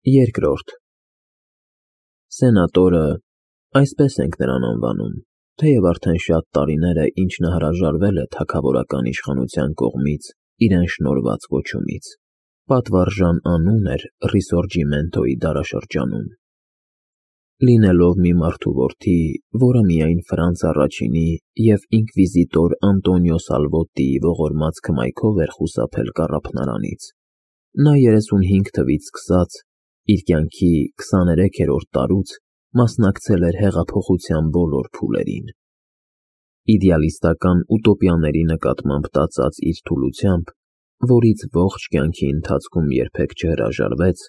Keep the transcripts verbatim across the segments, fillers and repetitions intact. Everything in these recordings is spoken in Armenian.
Երկրորդ Սենատորը, այսպես ենք նրան անվանում, թեև արդեն շատ տարիներ է, ինչ նա հրաժարվել է թագավորական իշխանության կողմից իրեն շնորհված կոչումից, պատվարժան անուն էր Ռիսորջիմենտոյի դարաշրջանում։ Լինելով մի մարդու որդի, որը միայն Ֆրանց առաջինի և ինկվիզիտոր Անտոնիո Սալվոտիի ողորմած քմայքով էր խուսափել կառափնարանից, նա երեսունհինգ թվից սկսած, իր կյանքի քսաներեքերորդ տարուց մասնակցել էր հեղափոխության բոլոր փուլերին։ Իդեալիստական ուտոպիաների նկատմամբ տածած իր թուլությամբ, որից ողջ կյանքի ընթացքում երբեք չհրաժարվեց,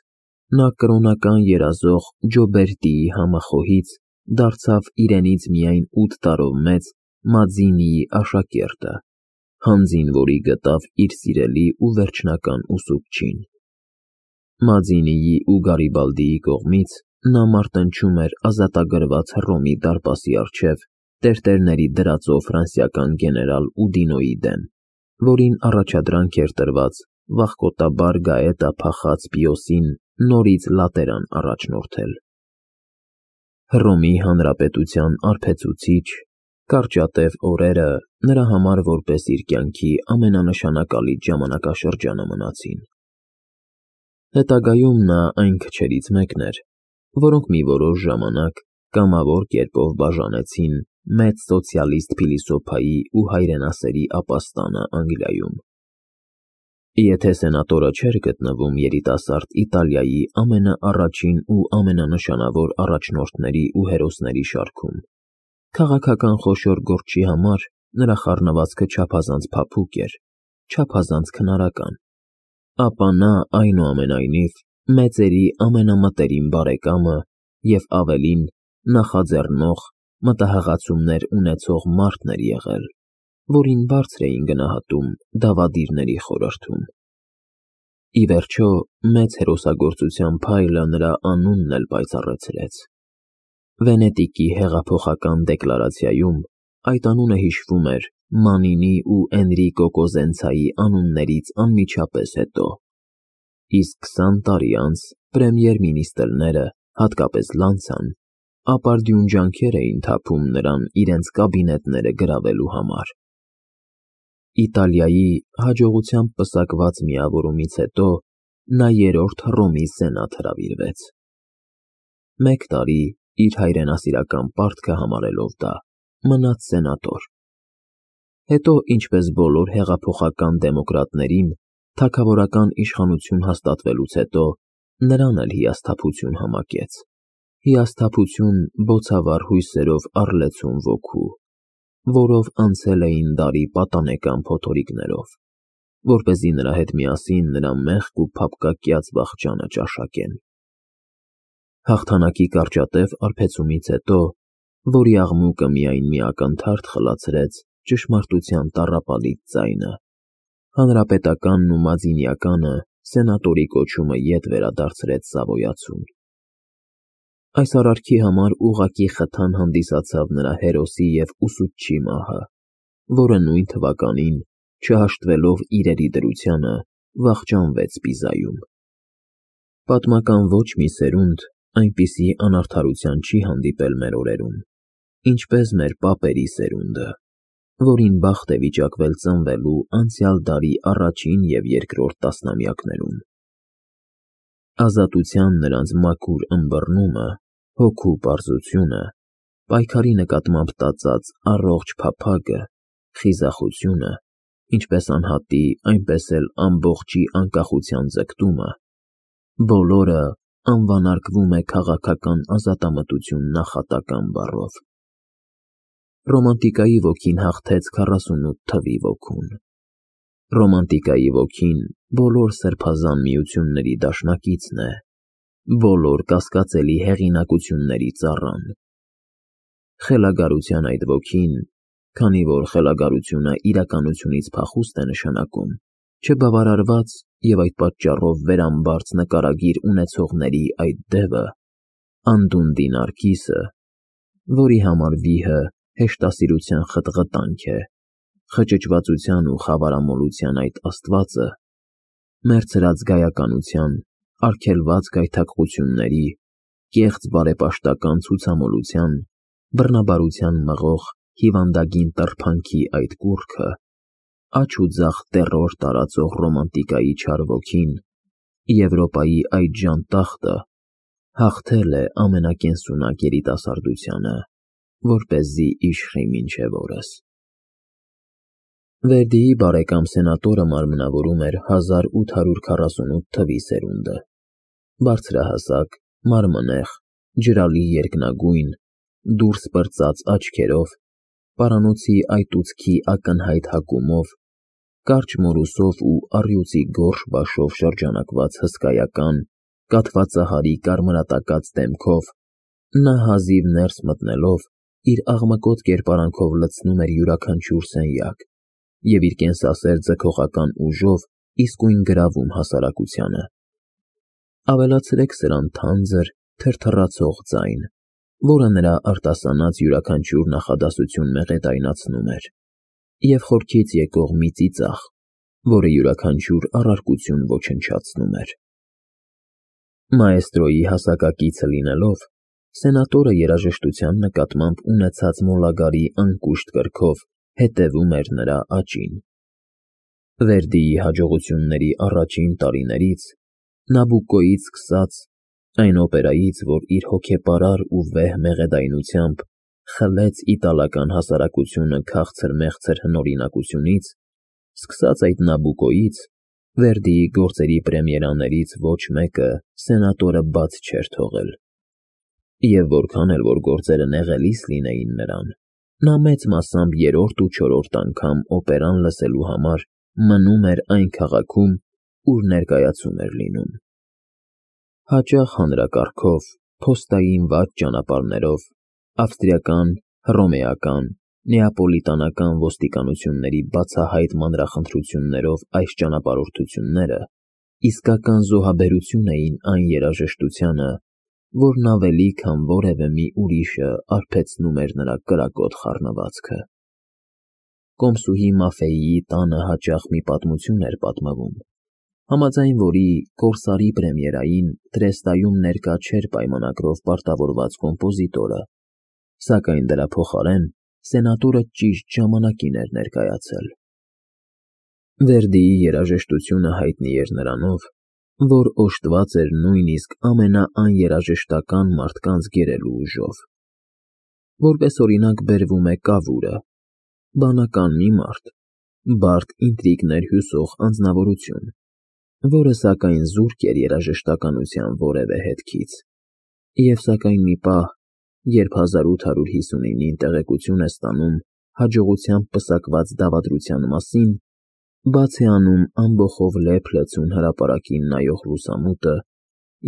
նա կրոնական երազող Ջոբերտիի համախոհից դարձավ իրենից միայն ութ տարով մեծ Մաձինիի աշակերտը, հանձին որի գտավ իր սիրելի ու վերջնական ուսուցչին։ Մաձինիի ու Գարիբալդիի կողմից նա մարտնչում էր ազատագրված Հռոմի դարպասի առջև տերտերների դրածո ֆրանսիական գեներալ Ուդինոյի դեմ, որին առաջադրանք էր տրված վախկոտաբար գաետա փախած Պիոսին նորից լատերան առաջնորդել։ Հռոմի հանրապետության արբեցուցիչ, կարճատև օրերը նրա համար որպես իր կյանքի ամենանշանակալից ժամանակաշրջանը մնացին։ Հետագայում նա այն քչերից մեկն էր, որոնք մի որոշ ժամանակ կամավոր կերպով բաժանեցին մեծ սոցիալիստ փիլիսոփայի ու հայրենասերի ապաստանը Անգլիայում։ Եթե սենատորը չէր գտնվում երիտասարդ Իտալիայի ամենաառաջին ու ամենանշանավոր առաջնորդների ու հերոսների շարքում, քաղաքական խոշոր գործի համար նրա խառնվածքը չափազանց փափուկ էր, չափազանց քնարական, ապա նա, այնուամենայնիվ, մեծերի ամենամտերիմ բարեկամը և ավելին, նախաձեռնող, մտահղացումներ ունեցող մարդն էր եղել, որին բարձր էին գնահատում դավադիրների խորհրդում։ Ի վերջո, մեծ հերոսագործության փայլը նրա անունն էլ պայծառացրեց։ Վենետիկի հեղափոխական դեկլարացիայում այդ անունը հիշվում էր Մանինի ու Էնրիկո Կոզենցայի անուններից անմիջապես հետո, իսկ քսան տարի անց պրեմիեր֊մինիստրները, հատկապես Լանցան, ապարդյուն ջանքեր էին թափում նրան իրենց կաբինետները գրավելու համար։ Իտալիայի հաջողությամբ պսակված միավորումից հետո նա երրորդ Հռոմի սենատ հրավիրվեց։ Մեկ տարի, իր հայրենասիրական պարտքը համարելով դա, մնաց սենատոր։ Հետո, ինչպես բոլոր հեղափոխական դեմոկրատներին, թագավորական իշխանություն հաստատվելուց հետո նրան էլ հիասթափություն համակեց, հիասթափություն բոցավառ հույսերով առլեցուն ոգու, որով անցել էին դարի պատանեկան փոթորիկներով, որպեսզի նրա հետ միասին նրա մեղք ու փափկակյաց վախճանը ճաշակեն։ Հաղթանակի կարճատև արբեցումից հետո, որի աղմուկը միայն մի ակնթարթ խլացրեց ճշմարտության տառապալից ձայնը, հանրապետականն ու մազինիականը սենատորի կոչումը ետ վերադարձրեց Սավոյացուն։ Այս արարքի համար ուղղակի խթան հանդիսացավ նրա հերոսի և ուսուցչի մահը, որը նույն թվականին, չհաշտվելով իրերի դրությանը, վախճանվեց Պիզայում։ Պատմական ոչ մի սերունդ այնպիսի անարդարության չի հանդիպել մեր օրերում, ինչպես մեր պապերի սերունդը, որին բախտ է վիճակվել ծնվելու անցյալ դարի առաջին և երկրորդ տասնամյակներում։ Ազատության նրանց մաքուր ըմբռնումը, հոգու պարզությունը, պայքարի նկատմամբ տածած առողջ փափագը, խիզախությունը, ինչպես անհատի, այնպես էլ ամբողջի անկախության ձգտումը, բոլորը անվանարկվում է քաղաքական ազատամտություն նախատական բառով։ Ռոմանտիկայի ոգին հաղթեց քառասունութ թվի ոգուն։ Ռոմանտիկայի ոգին բոլոր սրբազան միությունների դաշնակիցն է, բոլոր կասկածելի հեղինակությունների ծառան։ Խելագարության այդ ոգին, քանի որ խելագարությունը իրականությունից փախուստ է նշանակում, չբավարարված և այդ պատճառով վերամբարձ նկարագիր ունեցողների այդ դևը, անդունդի Նարգիսը, որի համար վիհը հեշտասիրության խտղտանք է, խճճվածության ու խավարամոլության այդ աստվածը, մեռցրած գայականության, արգելված գայթակղությունների, կեղծ բարեպաշտական ցուցամոլության, բռնաբարության մղող հիվանդագին տրփանքի այդ կուռքը, աջ ու ձախ տեռոր տարածող ռոմանտիկայի չար ոգին, Եվրոպայի այդ ժանտախտը հաղթել է ամենակենսունակ երիտասարդությանը, որպեսզի իշխի մինչև օրս։ Վերդիի բարեկամ սենատորը մարմնավորում էր հազար ութ հարյուր քառասունութ թվի սերունդը, բարձրահասակ, մարմնեղ, ջրալի երկնագույն, դուրս պրծած աչքերով, պարանոցի այտուցքի ակնհայտ հակումով, կարճ մորուսով ու առյուծի գորշ բաշով շրջանակված հսկայական, կաթվածահարի կարմրատակած դեմքով, նա հազիվ ներս մտնելով իր աղմկոտ կերպարանքով լցնում էր յուրաքանչյուր սենյակ և իր կենսասեր ձգողական ուժով իսկույն գրավում հասարակությանը։ Ավելացրեք սրան թանձր, թրթռացող ձայն, որը նրա արտասանած յուրաքանչյուր նախադասություն մեղեդայնացնում էր, և խորքից եկող մի ծիծաղ, որը յուրաքանչյուր առարկություն ոչնչացնում էր։ Մաեստրոյի հասակակիցը լինելով, սենատորը երաժշտության նկատմամբ ունեցած մոլագարի անկուշտ կրքով հետևում էր նրա աճին։ Վերդիի հաջողությունների առաջին տարիներից, Նաբուկոյից սկսած, այն օպերայից, որ իր հոգեպարար ու վեհ մեղեդայնությամբ խլեց իտալական հասարակությունը քաղցր-մեղցր հնօրինակությունից, սկսած այդ Նաբուկոյից, Վերդիի գործերի պրեմիերաներից ոչ մեկը սենատորը բաց չէր թողել, և որքան էլ որ գործերը նեղելիս լինեին նրան, նա մեծ մասամբ երրորդ ու չորրորդ անգամ օպերան լսելու համար մնում էր այն քաղաքում, ուր ներկայացում էր լինում։ Հաճախ հանրակարգով, փոստային վատ ճանապարհներով, ավստրիական, հռոմեական, նեապոլիտանական ոստիկանությունների բացահայտ մանրախնդրություններով այս ճանապարհորդությունները իսկական զոհաբերություն էին այն երաժշտությանը, որն ավելի քան որևէ մի ուրիշը արբեցնում էր նրա կրակոտ խառնվածքը։ Կոմսուհի Մաֆեիի տանը հաճախ մի պատմություն էր պատմվում, համաձայն որի «Կորսարի» պրեմիերային Տրեստայում ներկա չէր պայմանագրով պարտավորված կոմպոզիտորը, սակայն դրա փոխարեն սենատորը ճիշտ ժամանակին էր ներկայացել։ Վերդիի երաժշտությունը հայտնի էր նրանով, որ օժտված էր նույնիսկ ամենաաներաժշտական մարդկանց գերելու ուժով։ Որպես օրինակ բերվում է Կավուրը, բանական մի մարդ, բարդ ինտրիգներ հյուսող անձնավորություն, որը սակայն զուրկ էր երաժշտականության որևէ հետքից, և սակայն մի պահ, երբ հազար ութ հարյուր հիսունինին տեղեկություն է ստանում հաջողությամբ պսակված դավադրության մասին, բաց է անում ամբոխով լեփ լցուն հրապարակին նայող լուսամուտը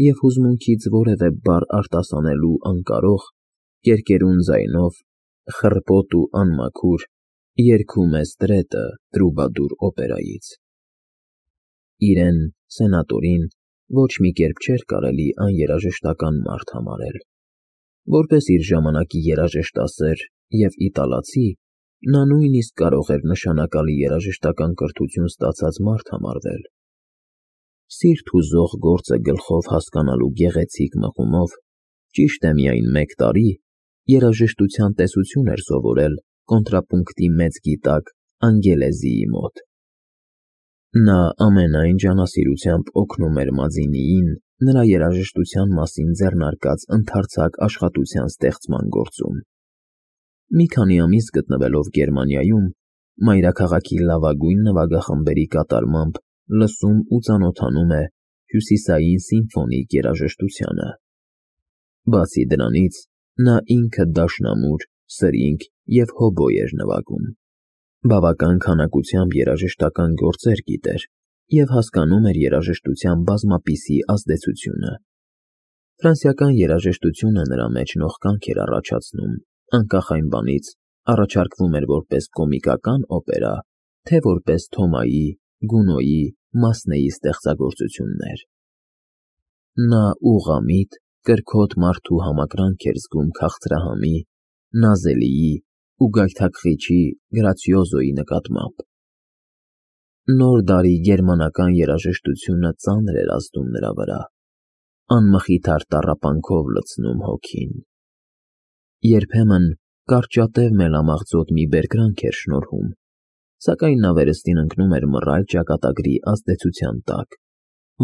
և հուզմունքից որևէ բառ արտասանելու անկարող, կերկերուն ձայնով, խռպոտ ու անմաքուր, երգում է Ստրետը Տրուբադուր օպերայից։ Իրեն՝ սենատորին, ոչ մի կերպ չէր կարելի աներաժշտական մարդ համարել։ Որպես իր ժամանակի երաժշտասեր և իտալացի, նա նույնիսկ կարող էր նշանակալի երաժշտական կրթություն ստացած մարդ համարվել։ Սիրտ հուզող գործը գլխով հասկանալու գեղեցիկ մղումով, ճիշտ է միայն մեկ տարի, երաժշտության տեսություն էր սովորել կոնտրապունկտի մեծ գիտակ Անգելեզիի մոտ։ Նա ամենայն ջանասիրությամբ օգնում էր Մազինիին նրա երաժշտության մասին ձեռնարկած ընդարձակ աշխատության ստեղծման գործում։ Մի քանի ամիս գտնվելով Գերմանիայում, մայրաքաղաքի լավագույն նվագախմբերի կատարմամբ լսում ու ծանոթանում է հյուսիսային սիմֆոնիկ երաժշտությանը։ Բացի դրանից, նա ինքը դաշնամուր, սրինգ և հոբոյ էր նվագում։ Բավական քանակությամբ երաժշտական գործեր գիտեր և հասկանում էր երաժշտության բազմապիսի ազդեցությունը։ Ֆրանսիական երաժշտությունը նրա մեջ նողկանք էր առաջացնում, անկախ այն բանից՝ առաջարկվում էր որպես կոմիկական օպերա, թե որպես Թոմայի, Գունոյի, Մասնեի ստեղծագործություններ։ Նա ուղղամիտ, կրքոտ մարդու համակրանք էր զգում քաղցրահամի, նազելիի ու գայթակղիչի գրացիոզոյի նկատմամբ։ Նոր դարի գերմանական երաժշտությունը ծանր էր ազդում նրա վրա, անմխիթար տառապանքով լցնում հոգին։ Երբեմն կարճատև մելամաղձոտ մի բերկրանք էր շնորհում, սակայն նա վերստին ընկնում էր մռայլ ճակատագրի ազդեցության տակ,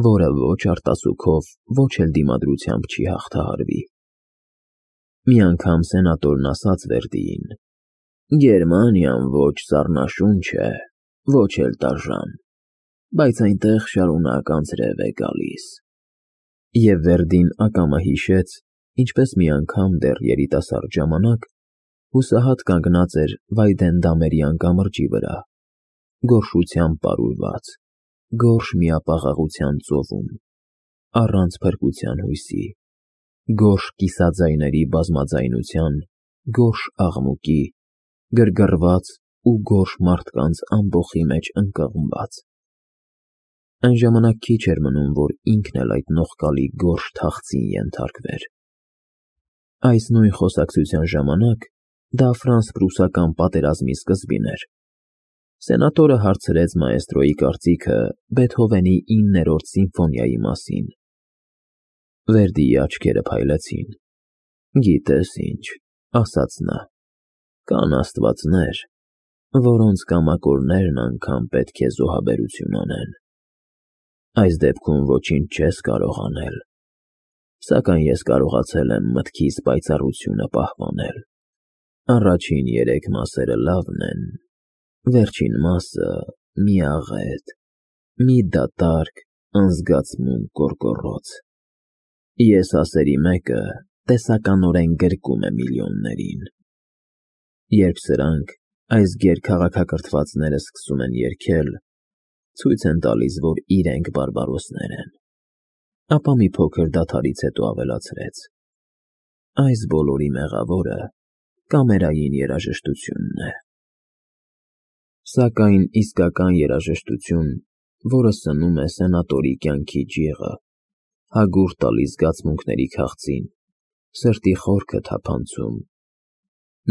որը ոչ արտասուքով, ոչ էլ դիմադրությամբ չի հաղթահարվի։ Մի անգամ սենատորն ասաց Վերդիին. «Գերմանիան ոչ սառնաշունչ է, ոչ էլ տաժան, բայց այնտեղ շարունակ անձրև է գալիս»։ Եվ Վերդին ակամա հիշեց, ինչպես մի անգամ դեռ երիտասարդ ժամանակ հուսահատ կանգնած էր Վայդենդամերյան կամրջի վրա, գորշությամբ պարուրված, գորշ միապաղաղության ծովում, առանց փրկության հույսի, գորշ կիսաձայների բազմաձայնության, գորշ աղմուկի, գրգռված ու գորշ մարդկանց ամբոխի մեջ ընկղմված։ Այն ժամանակ քիչ էր մնում, որ ինքն էլ այդ նողկալի գորշ թախծին ենթարկվեր։ Այս նույն խոսակցության ժամանակ դա ֆրանս֊պրուսական պատերազմի սկզբին էր։ Սենատորը հարցրեց մաեստրոյի կարծիքը Բեթհովենի իններորդ սիմֆոնիայի մասին։ Վերդիի աչքերը փայլեցին։ «Գիտես ինչ», ասաց նա, «կան աստվածներ, որոնց կամակորներն անգամ պետք է զոհաբերություն անեն։ Այս դեպքում ոչինչ չես կարող անել, սակայն ես կարողացել եմ մտքիս պայծառությունը պահպանել։ Առաջին երեք մասերը լավն են, վերջին մասը մի աղետ, մի դատարկ, անզգացմունք կորկոռոց։ Ես ասերի մեկը տեսականորեն գրկում է միլիոններին։ Երբ սրանք, այս գերքաղաքակրթվածները սկսում են երգել, ցույց են տալիս, որ իրենք բարբարոսներ են»։ Ապա մի փոքր դադարից հետո ավելացրեց. «Այս բոլորի մեղավորը կամերային երաժշտությունն է»։ Սակայն իսկական երաժշտություն, որը սնում է սենատորի կյանքի ջիղը, հագուրդ տալիս զգացմունքների քաղցին, սրտի խորքը թափանցում,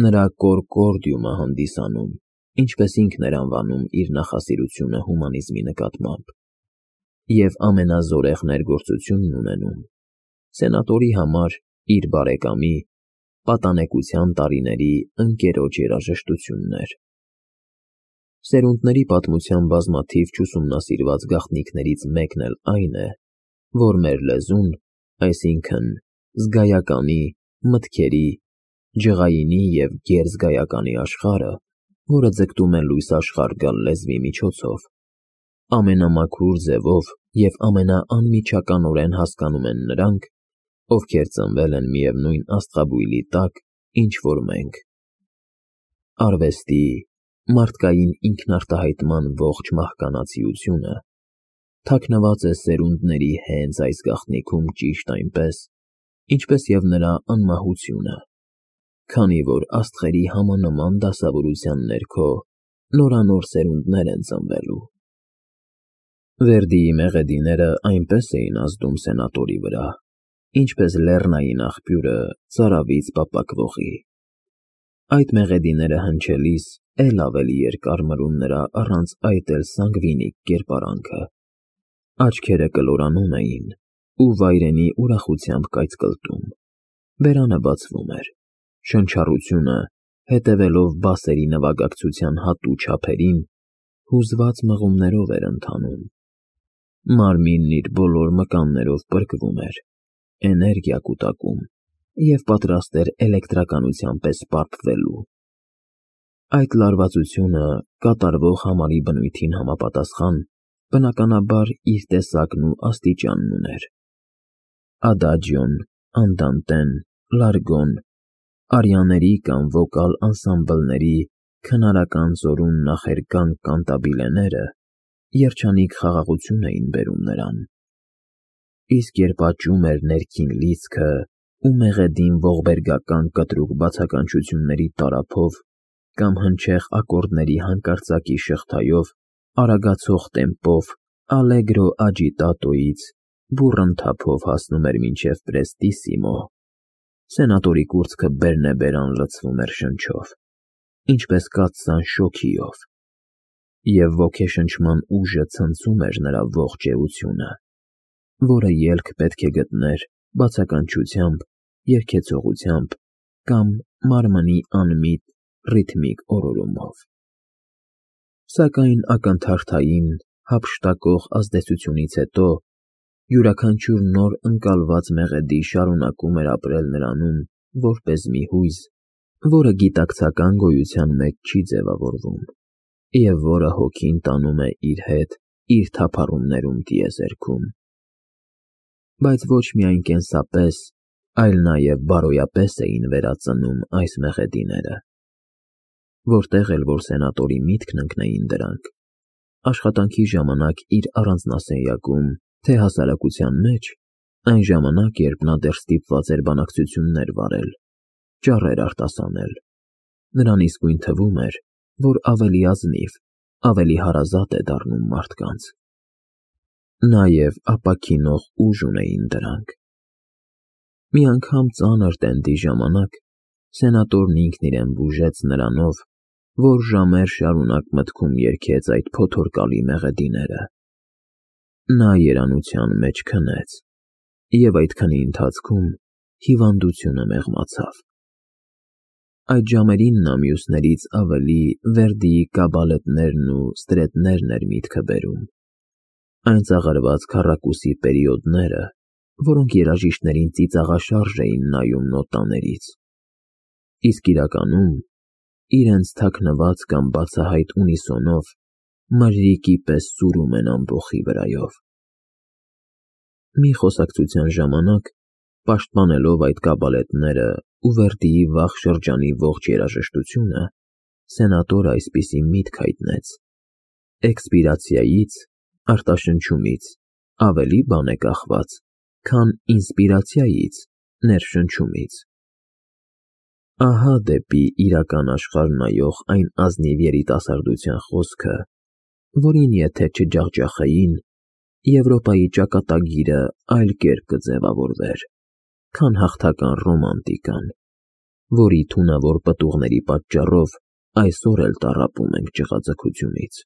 նրա կոռկորդիումը հանդիսանում, ինչպես ինքն էր անվանում իր նախասիրությունը հումանիզմի նկատմամբ, և ամենազորեղ ներգործությունն ունենում, սենատորի համար իր բարեկամի, պատանեկության տարիների ընկերոջ երաժշտությունն էր։ Սերունդների պատմության բազմաթիվ չուսումնասիրված գաղտնիքներից մեկն էլ այն է, որ մեր լեզուն, այսինքն զգայականի, մտքերի, ջղայինի և գերզգայականի աշխարհը, որը ձգտում է լույս աշխարհ գալ լեզվի միջոցով, ամենամաքուր ձևով և ամենաանմիջականորեն հասկանում են նրանք, ովքեր ծնվել են միևնույն աստղաբույլի տակ, ինչ որ մենք։ Արվեստի, մարդկային ինքնարտահայտման ողջ մահկանացիությունը թաքնված է սերունդների հենց այս գաղտնիքում ճիշտ այնպես, ինչպես և նրա անմահությունը, քանի որ աստղերի համանման դասավորության ներքո նորանոր սերունդներ են ծնվելու։ Վերդիի մեղեդիները այնպես էին ազդում սենատորի վրա, ինչպես լեռնային աղբյուրը ծարավից պապակվողի։ Այդ մեղեդիները հնչելիս էլ ավելի երկար մրում նրա առանց այդ էլ սանգվինիկ կերպարանքը, աչքերը կլորանում էին ու վայրենի ուրախությամբ կայծկլտում, բերանը բացվում էր, շնչառությունը, հետևելով բասերի նվագակցության հատու չափերին, հուզված մղումներով էր ընթանում։ Մարմինն իր բոլոր մկաններով պրկվում էր, էներգիա կուտակում և պատրաստ էր էլեկտրականության պես պարփվելու։ Այդ լարվածությունը կատարվող համարի բնույթին համապատասխան, բնականաբար, իր տեսակն ու աստիճանն ուներ։ Ադաջիոն, անդանտեն, լարգոն, արիաների կամ վոկալ անսամբլների քնարական զորուն նախերգանք կանտաբիլեները երջանիկ խաղաղություն էին բերում նրան։ Իսկ երբ աճում էր ներքին լիցքը ու մեղեդին ողբերգական կտրուկ բացականչությունների տարափով կամ հնչեղ ակորդների հանկարծակի շղթայով, արագացող տեմպով ալեգրո աջիտատոից բուռն թափով հասնում էր մինչև պրեստիսիմո, սենատորի կուրծքը բերնեբերան լցվում էր շնչով, ինչպես կաթսան շոգիով, և ոգեշնչման ուժը ցնցում էր նրա ողջ էությունը։ որը ելք պետք է գտներ բացականչությամբ, երգեցողությամբ կամ մարմնի անմիտ, ռիթմիկ օրորումով։ Սակայն ակնթարթային, հափշտակող ազդեցությունից հետո յուրաքանչյուր նոր ընկալված մեղեդի շարունակում էր ապրել նրանում որպես մի հույզ, որը գիտակցական գոյության մեջ չի ձևավորվում, և որը հոգին տանում է իր հետ իր թափառումներում տիեզերքում։ Բայց ոչ միայն կենսապես, այլ նաև բարոյապես էին վերածնում այս մեղեդիները։ Որտեղ էլ որ սենատորի միտքն ընկնեին դրանք, աշխատանքի ժամանակ իր առանձնասենյակում, թե հասարակության մեջ, այն ժամանակ, երբ նա դեռ ստիպված էր բանակցություններ վարել, ճառեր արտասանել, նրան իսկույն թվում էր, որ ավելի ազնիվ, ավելի հարազատ է դառնում մարդկանց։ Նաև ապաքինող ուժ ունեին դրանք։ Մի անգամ ծանր տենդի ժամանակ սենատորն ինքն իրեն բուժեց նրանով, որ ժամեր շարունակ մտքում երգեց այդ փոթորկալի մեղեդիները։ Նա երանության մեջ քնեց, և այդ քնի ընթացքում հիվանդությունը մեղմացավ։ Այդ ժամերին նա մյուսներից ավելի Վերդիի կաբալետներն ու ստրետներն էր միտքը բերում, այն ծաղրված քառակուսի պերիոդները, որոնք երաժիշտներին ծիծաղաշարժ էին նայում նոտաներից, իսկ իրականում իրենց թաքնված կամ բացահայտ ունիսոնով մրրիկի պես սուրում են ամբոխի վրայով։ Մի խոսակցության ժամանակ, պաշտպանելով այդ կաբալետները ու Վերդիի վաղ շրջանի ողջ երաժշտությունը, սենատորը այսպիսի միտք հայտնեց. էքսպիրացիայից, արտաշնչումից ավելի բան է կախված, քան ինսպիրացիայից, ներշնչումից։ Ահա դեպի իրական աշխարհ նայող այն ազնիվ երիտասարդության խոսքը, որին եթե չջախջախեին, Եվրոպայի ճակատագիրը այլ կերպ կձևավորվեր, քան հաղթական ռոմանտիկան, որի թունավոր պտուղների պատճառով այսօր էլ տառապում ենք ճղագցությունից։